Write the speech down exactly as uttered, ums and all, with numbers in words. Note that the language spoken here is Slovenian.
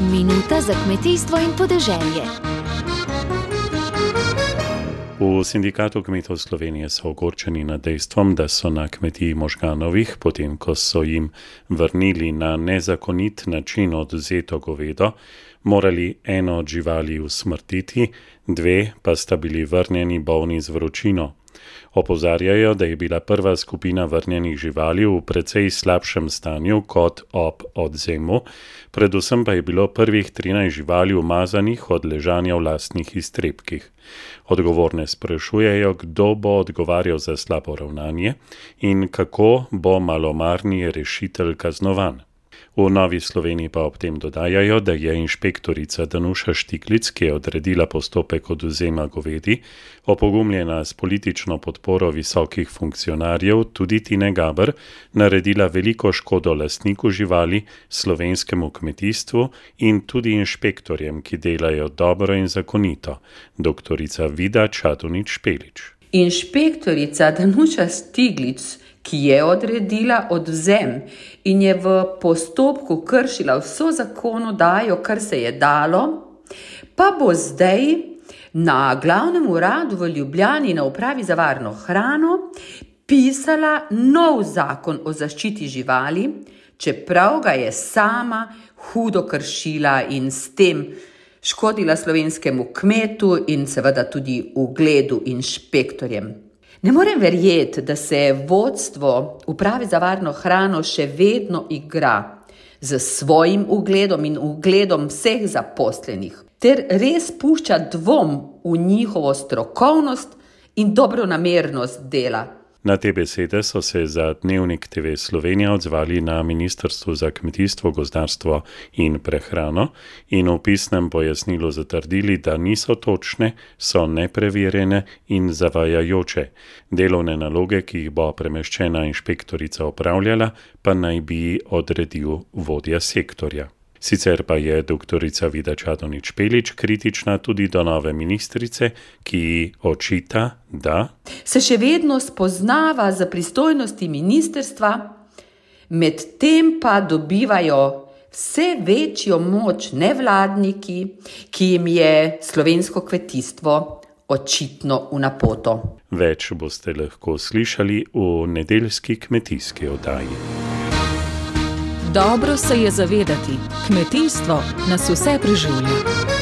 Minuta za kmetijstvo in podeželje. V Sindikatu kmetov Slovenije so ogorčeni nad dejstvom, da so na kmetiji Možganovih, potem ko so jim vrnili na nezakonit način odvzeto govedo, morali eno od živali usmrtiti, dve pa sta bili vrnjeni bolni z vročino. Opozarjajo, da je bila prva skupina vrnjenih živali v precej slabšem stanju kot ob odvzemu, predvsem pa je bilo prvih trinajst živali umazanih od ležanja v lastnih iztrebkih. Odgovorne sprašujejo, kdo bo odgovarjal za slabo ravnanje in kako bo malomarni rešitelj kaznovan. V Novi Sloveniji pa ob tem dodajajo, da je inšpektorica Danuša Štiklic, ki je odredila postopek odvzema govedi, opogumljena s politično podporo visokih funkcionarjev, tudi Tine Gaber, naredila veliko škodo lastniku živali, slovenskemu kmetijstvu in tudi inšpektorjem, ki delajo dobro in zakonito. Doktorica Vida Čadonič Špelič. Inšpektorica Danuša Štiklic, ki je odredila odvzem in je v postopku kršila vso zakonodajo, kar se je dalo, pa bo zdaj na glavnem uradu v Ljubljani na upravi za varno hrano pisala nov zakon o zaščiti živali, čeprav ga je sama hudo kršila in s tem škodila slovenskemu kmetu in seveda tudi ugledu inšpektorjem. Ne morem verjeti, da se vodstvo uprave za varno hrano še vedno igra z svojim ugledom in ugledom vseh zaposlenih, ter res pušča dvom v njihovo strokovnost in dobronamernost dela. Na te besede so se za Dnevnik te ve Slovenija odzvali na Ministrstvu za kmetijstvo, gozdarstvo in prehrano in v pisnem pojasnilu zatrdili, da niso točne, so nepreverjene in zavajajoče. Delovne naloge, ki jih bo premeščena inšpektorica opravljala, pa naj bi odredil vodja sektorja. Sicer pa je doktorica Vida Čadonič Špelič kritična tudi do nove ministrice, ki očita, da se še vedno spoznava za pristojnosti ministrstva, medtem pa dobivajo vse večjo moč nevladniki, ki jim je slovensko kmetijstvo očitno v napoto. Več boste lahko slišali v nedeljski kmetijski oddaji. Dobro se je zavedati, kmetijstvo nas vse preživlja.